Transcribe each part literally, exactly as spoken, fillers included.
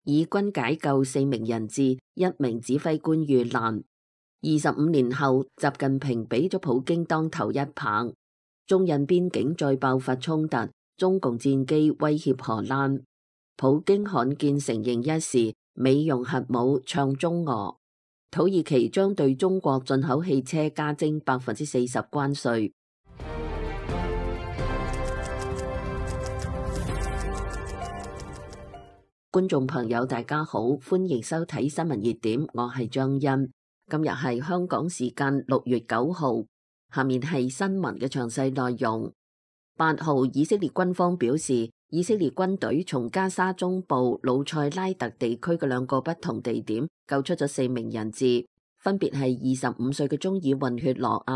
以軍解救四名人質，一名指揮官遇難。二十五年後，習近平俾咗普京當頭一棒。中印邊境再爆發衝突，中共戰機威脅荷蘭。普京罕見承認一事，美用核武唱中俄。土耳其將對中國進口汽車加徵百分之四十關稅。觀眾朋友大家好，歡迎收睇新聞熱點，我係張欣。今日係香港時間六月九號，下面係新聞嘅詳細內容。八號，以色列軍方表示，以色列軍隊從加沙中部魯塞拉特地區嘅兩個不同地點救出咗四名人質，分別係二十五歲嘅中爾混血羅亞、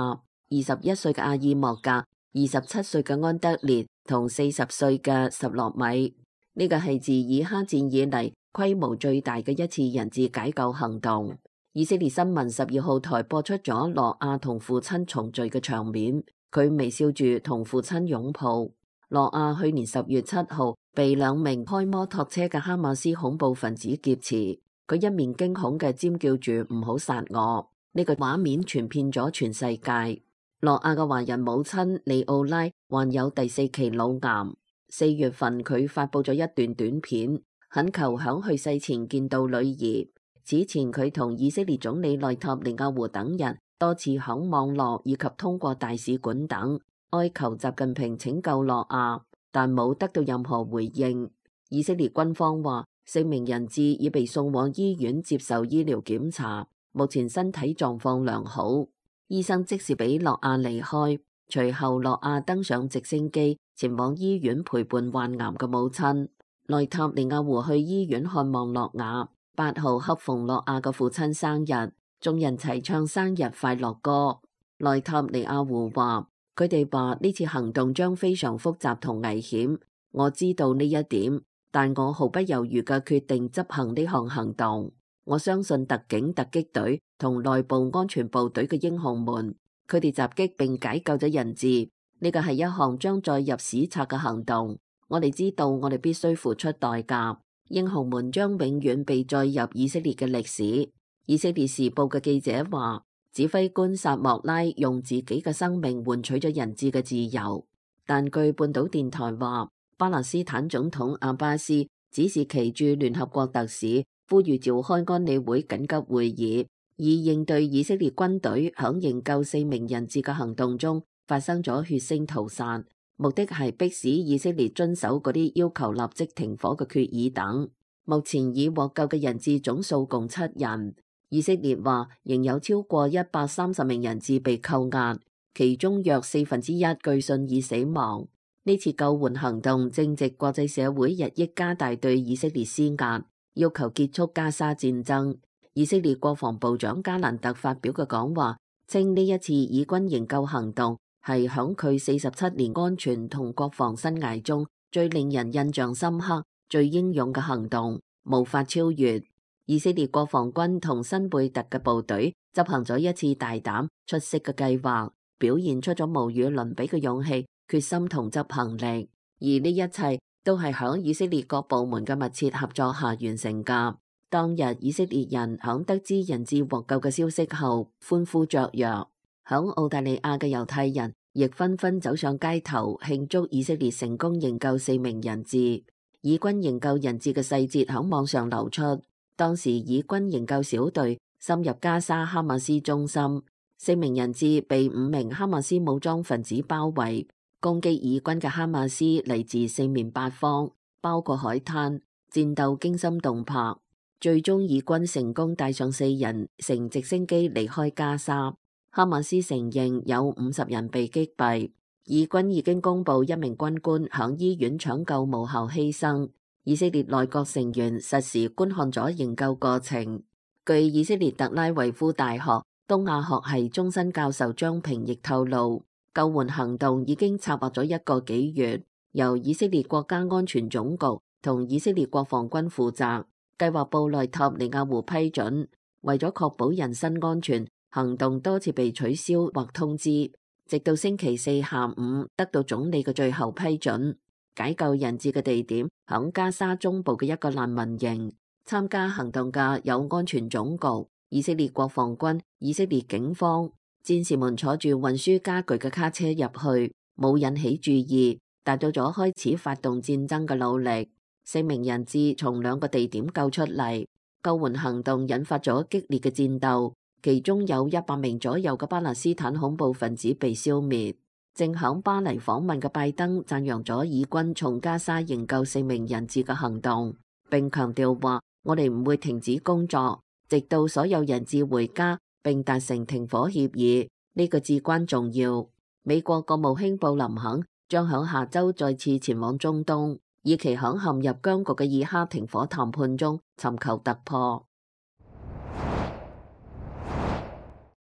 二十一歲嘅阿爾莫格、二十七歲嘅安德烈同四十歲嘅什洛米。呢個係自以哈戰以嚟規模最大嘅一次人質解救行動。以色列新聞十二號台播出咗羅亞同父親重聚嘅場面，佢微笑住同父親擁抱。羅亞去年十月七號被兩名開摩托車嘅哈馬斯恐怖分子劫持，佢一面驚恐嘅尖叫住唔好殺我。呢個畫面傳遍咗全世界。羅亞嘅華人母親利奧拉患有第四期腦癌，四月份佢發佈咗一段短片，懇求響去世前見到女兒。此前佢同以色列總理內塔尼亞胡等人多次響網絡以及通過大使館等哀求習近平拯救羅亞，但冇得到任何回應。以色列軍方話，四名人質已被送往醫院接受醫療檢查，目前身體狀況良好。醫生即時俾羅亞離開，隨後羅亞登上直升機前往醫院陪伴患癌嘅母親。內塔尼亞胡去醫院看望羅亞。八號恰逢羅亞嘅父親生日，眾人齊唱生日快樂歌。內塔尼亞胡話：佢哋話呢次行動將非常複雜同危險，我知道呢一點，但我毫不猶豫嘅決定執行呢項行動。我相信特警突擊隊同內部安全部隊嘅英雄們，佢哋襲擊並解救咗人質，呢個係一項將載入史冊嘅行動。我哋知道我哋必須付出代價。英雄們將永遠被載入以色列嘅歷史。以色列時報嘅記者話，指揮官薩莫拉用自己嘅生命換取咗人質嘅自由。但據半島電台話，巴勒斯坦總統阿巴斯指示其駐聯合國特使呼籲召開安理會緊急會議，以應對以色列軍隊響營救四名人質嘅行動中發生咗血腥屠殺。目的係迫使以色列遵守嗰啲要求立即停火嘅決議等。目前已獲救嘅人質總數共七人。以色列話仍有超過一百三十名人質被扣押，其中約四分之一據信已死亡。呢次救援行動正值國際社會日益加大對以色列施壓，要求結束加沙戰爭。以色列國防部長加蘭特發表嘅講話稱，呢一次以軍營救行動係響佢四十七年安全同國防生涯中最令人印象深刻、最英勇嘅行動，無法超越。以色列國防軍同新貝特嘅部隊執行咗一次大膽出色嘅計劃，表現出咗無與倫比嘅勇氣、決心同執行力。而呢一切都係響以色列各部門嘅密切合作下完成㗎。當日以色列人響得知人質獲救嘅消息後，歡呼雀躍。響澳大利亞嘅猶太人亦紛紛走上街頭慶祝以色列成功營救四名人質。以軍營救人質嘅細節響網上流出，當時以軍營救小隊深入加沙哈馬斯中心，四名人質被五名哈馬斯武裝分子包圍，攻擊以軍嘅哈馬斯嚟自四面八方，包括海灘，戰鬥驚心動魄。最終以軍成功帶上四人乘直升機離開加沙。哈馬斯承認有五十人被擊斃，以軍已經公布一名軍官響醫院搶救無效犧牲。以色列內閣成員實時觀看咗營救過程。據以色列特拉維夫大學東亞學系終身教授張平亦透露，救援行動已經策劃咗一個幾月，由以色列國家安全總局同以色列國防軍負責，計劃部內塔尼亞胡批准。為咗確保人身安全，行動多次被取消或通知，直到星期四下午得到總理嘅最後批准。解救人質嘅地點響加沙中部嘅一個難民營，參加行動嘅有安全總局、以色列國防軍、以色列警方。戰士們坐住運輸家具嘅卡車入去，冇引起注意，達到咗開始發動戰爭嘅努力。四名人質從兩個地點救出嚟，救援行動引發咗激烈嘅戰鬥，其中有一百名左右嘅巴勒斯坦恐怖分子被消滅。正響巴黎訪問嘅拜登讚揚咗以軍從加沙營救四名人質嘅行動，並強調話：我哋唔會停止工作，直到所有人質回家並達成停火協議，呢個至關重要。美國國務卿布林肯將響下周再次前往中東，以期響陷入僵局嘅以哈停火談判中尋求突破。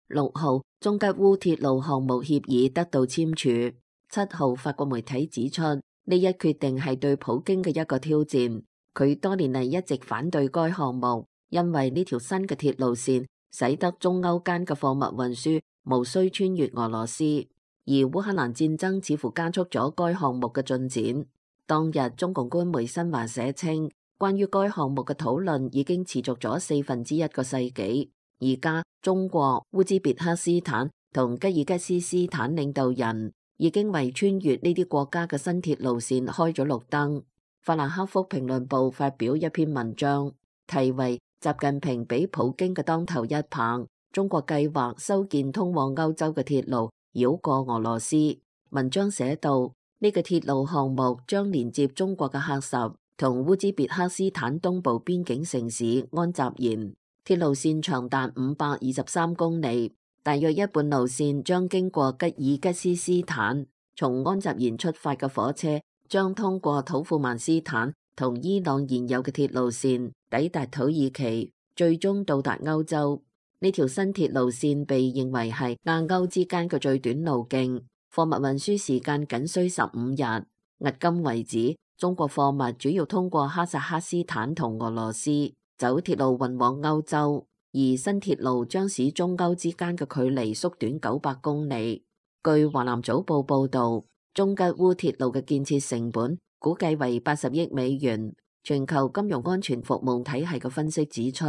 六號，中吉烏鐵路項目協議得到簽署。七號，法國媒體指出，呢一決定係對普京嘅一個挑戰。佢多年嚟一直反對該項目，因為呢條新嘅鐵路線使得中歐間嘅貨物運輸無需穿越俄羅斯。而烏克蘭戰爭似乎加速咗該項目嘅進展。當日中共官媒新華社稱，關於該項目嘅討論已經持續咗四分之一個世紀。而家中國、烏茲別克斯坦同吉爾吉斯斯坦領導人已經為穿越呢啲國家嘅新鐵路線開咗綠燈。法蘭克福評論報發表一篇文章，題為《習近平俾普京嘅當頭一棒》，中國計劃修建通往歐洲嘅鐵路，繞過俄羅斯。文章寫道，呢個鐵路項目將連接中國嘅喀什同烏茲別克斯坦東部邊境城市安扎延。鐵路線長達五百二十三公里，大約一半路線將經過吉爾吉斯斯坦。從安扎延出發嘅火車將通過土庫曼斯坦同伊朗現有嘅鐵路線，抵達土耳其，最終到達歐洲。呢條新鐵路線被認為係亞歐之間嘅最短路徑，貨物運輸時間僅需十五日。迄今為止，中國貨物主要通過哈薩克斯坦同俄羅斯走鐵路運往歐洲，而新鐵路將使中歐之間嘅距離縮短九百公里。據華南早報報導，中吉烏鐵路嘅建設成本估計為八十億美元。全球金融安全服務體系嘅分析指出，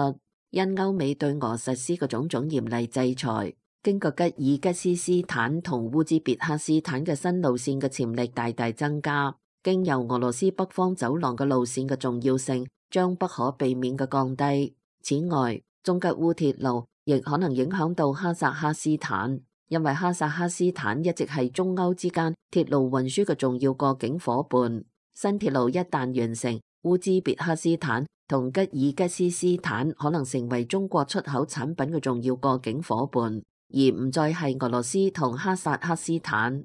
因歐美對俄實施嘅種種嚴厲制裁，經過吉爾吉斯斯坦同烏茲別克斯坦嘅新路線嘅潛力大大增加，經由俄羅斯北方走廊嘅路線嘅重要性將不可避免嘅降低。此外，中吉烏鐵路亦可能影響到哈薩克斯坦，因為哈薩克斯坦一直係中歐之間鐵路運輸嘅重要過境伙伴。新鐵路一旦完成，烏茲別克斯坦同吉爾吉斯斯坦可能成為中國出口產品嘅重要過境伙伴，而唔再係俄羅斯同哈薩克斯坦。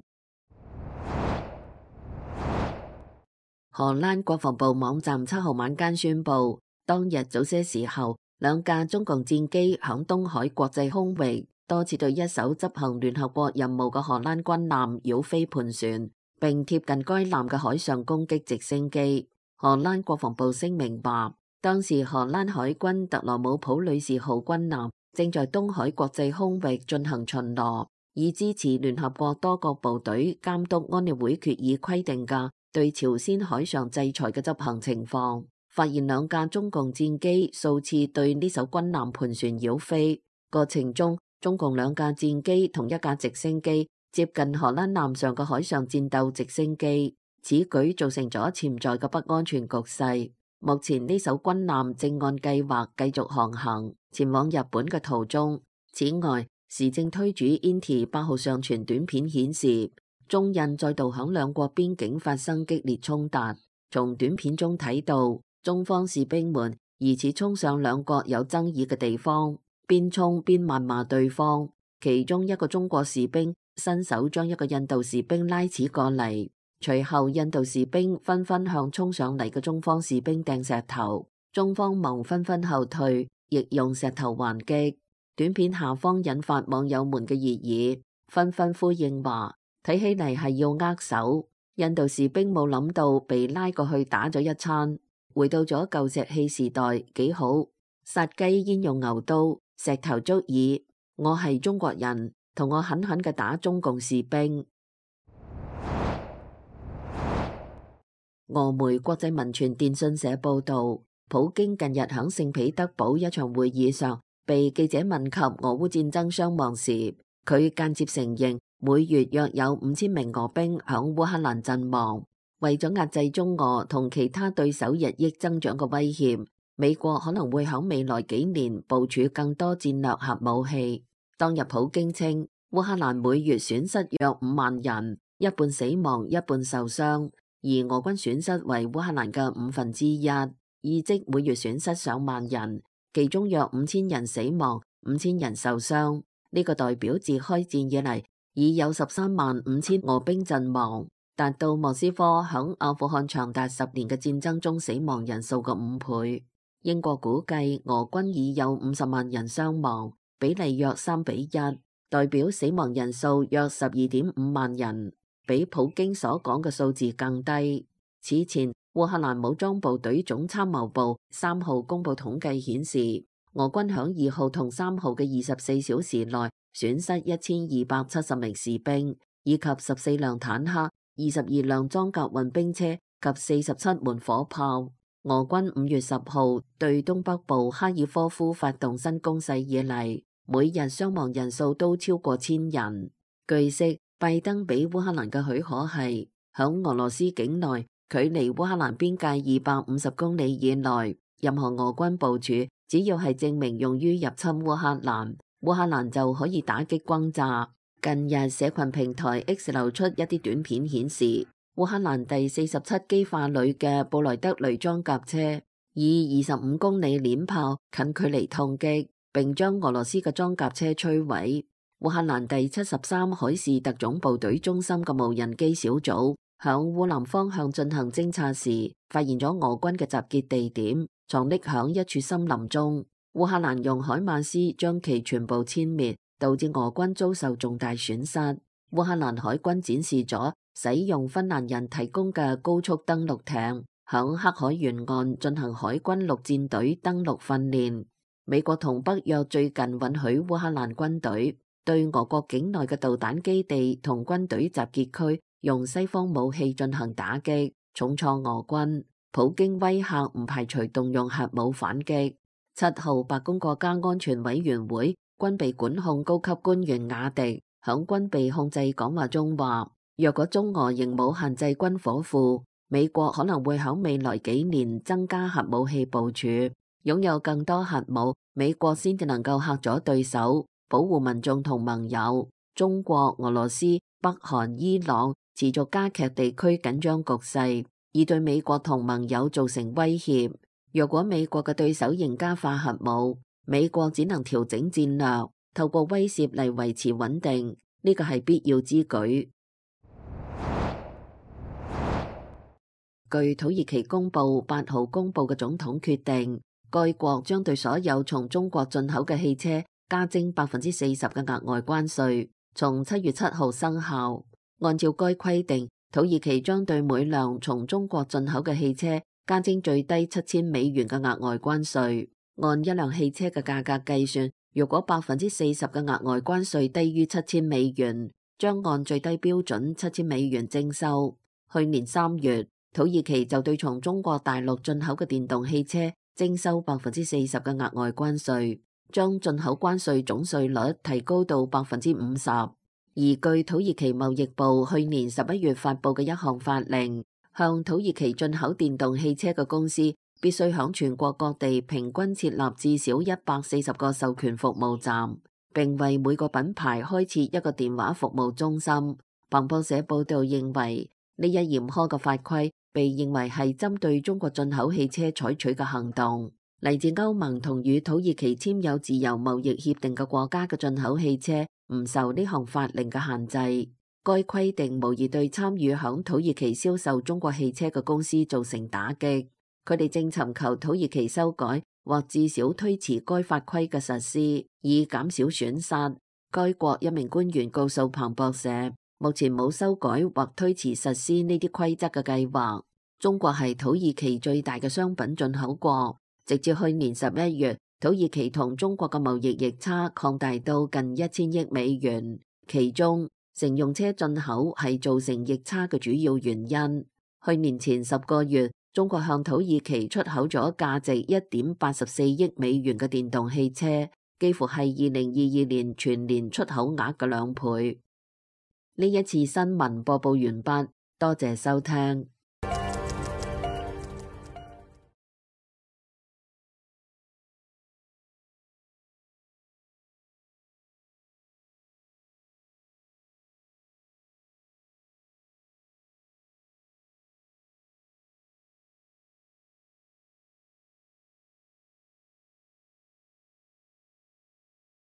荷蘭國防部網站七號晚間宣布，當日早些時候，兩架中共戰機響東海國際空域多次對一艘執行聯合國任務嘅荷蘭軍艦擾飛盤旋，並貼近該艦嘅海上攻擊直升機。荷蘭國防部聲明話，當時荷蘭海軍特羅姆普女士號軍艦正在東海國際空域進行巡邏，以支持聯合國多國部隊監督安理會決議規定嘅對朝鮮海上制裁嘅執行情況。發現兩架中共戰機數次對呢艘軍艦盤旋擾飛，過程中中共兩架戰機同一架直升機接近荷蘭艦上嘅海上戰鬥直升機，此舉造成咗潛在嘅不安全局勢。目前呢艘軍艦正按計劃繼續航行前往日本嘅途中。此外，時政推主 Inti 八號上傳短片顯示，中印再度響兩國邊境發生激烈衝突。從短片中睇到，中方士兵們疑似衝上兩國有爭議嘅地方，邊衝邊謾罵對方。其中一個中國士兵伸手將一個印度士兵拉扯過嚟，隨後印度士兵紛紛向衝上嚟嘅中方士兵掟石頭，中方忙紛紛後退，亦用石頭還擊。短片下方引發網友們嘅熱議，紛紛呼應話，睇起嚟係要握手。印度士兵冇諗到被拉過去打咗一餐，回到咗舊石器時代，幾好。殺雞焉用牛刀，石頭足矣。我係中國人，同我狠狠嘅打中共士兵。俄媒國際文傳電訊社報道，普京近日喺聖彼得堡一場會議上，被記者問及俄烏戰爭傷亡時，佢間接承認每月約有五千名俄兵響烏克蘭陣亡。為咗壓制中俄同其他對手日益增長嘅威脅，美國可能會喺未來幾年部署更多戰略核武器。當日普京稱，烏克蘭每月損失約五萬人，一半死亡，一半受傷，而俄軍損失為烏克蘭嘅五分之一，意即每月損失上萬人，其中約五千人死亡，五千人受傷。呢、這個代表自開戰以嚟已有十三萬五千俄兵陣亡，達到莫斯科響阿富汗長達十年嘅戰爭中死亡人數嘅五倍。英國估計俄軍已有五十萬人傷亡，比例約三比一，代表死亡人數約十二點五萬人，比普京所講嘅數字更低。此前，烏克蘭武裝部隊總參謀部三號公布統計顯示，俄軍響二號同三號嘅二十四小時內損失一千二百七十名士兵，以及十四輛坦克、二十二輛裝甲運兵車及四十七門火炮。俄軍五月十號對東北部哈爾科夫發動新攻勢以嚟，每日傷亡人數都超過千人。據悉，拜登俾烏克蘭嘅許可係響俄羅斯境內，距離烏克蘭邊界二百五十公里以內，任何俄軍部署只要係證明用於入侵烏克蘭，烏克蘭就可以打擊轟炸。近日社群平台 X 流出一啲短片顯示，烏克蘭第四十七機化旅嘅布萊德雷裝甲車以二十五公里鏈炮近距離痛擊，並將俄羅斯嘅裝甲車摧毀。烏克蘭第七十三海事特種部隊中心嘅無人機小組響烏南方向進行偵察時，發現咗俄軍嘅集結地點藏匿響一處森林中。烏克蘭用海馬斯將其全部殲滅，導致俄軍遭受重大損失。烏克蘭海軍展示咗使用芬蘭人提供嘅高速登陸艇，響黑海沿岸進行海軍陸戰隊登陸訓練。美國同北約最近允許烏克蘭軍隊對俄國境內嘅導彈基地同軍隊集結區用西方武器進行打擊，重創俄軍。普京威嚇唔排除動用核武反擊。七號白宮國家安全委員會軍備管控高級官員雅迪響軍備控制講話中話，若果中俄仍冇限制軍火庫，美國可能會喺未來幾年增加核武器部署，擁有更多核武，美國先至能夠嚇阻對手，保護民眾同盟友。中國、俄羅斯、北韓、伊朗持續加劇地區緊張局勢，以對美國同盟友造成威脅。若果美國嘅對手仍加化核武，美國只能調整戰略，透過威懾嚟維持穩定，呢個係必要之舉。據土耳其公佈八號公佈嘅總統決定，該國將對所有從中國進口嘅汽車加徵百分之四十嘅額外關稅，從七月七號生效。按照該規定，土耳其將對每輛從中國進口嘅汽車加徵最低七千美元嘅額外關稅。按一輛汽車嘅價格計算，如果百分之四十嘅額外關稅低於七千美元，將按最低標準七千美元徵收。去年三月，土耳其就對從中國大陸進口嘅電動汽車徵收百分之四十嘅額外關稅，將進口關稅總稅率提高到百分之五十。而據土耳其貿易部去年十一月發佈嘅一項法令，向土耳其進口電動汽車嘅公司必須響全國各地平均設立至少一百四十個授權服務站，並為每個品牌開設一個電話服務中心。彭博社報道認為，呢一嚴苛嘅法規被認為係針對中國進口汽車採取嘅行動。嚟自歐盟同與土耳其簽有自由貿易協定嘅國家嘅進口汽車唔受呢項法令嘅限制。該規定無疑對參與響土耳其銷售中國汽車嘅公司造成打擊。佢哋正尋求土耳其修改或至少推遲該法規嘅實施，以減少損失。該國一名官員告訴彭博社，目前冇修改或推遲實施呢啲規則嘅計劃。中國係土耳其最大嘅商品進口國，直至去年十一月，土耳其同中國嘅貿易逆差擴大到近一千億美元，其中乘用車進口係造成逆差嘅主要原因。去年前十個月，中國向土耳其出口咗價值一點八十四億美元嘅電動汽車，幾乎係二零二二年全年出口額嘅兩倍。呢一次新聞播報完畢，多謝收聽。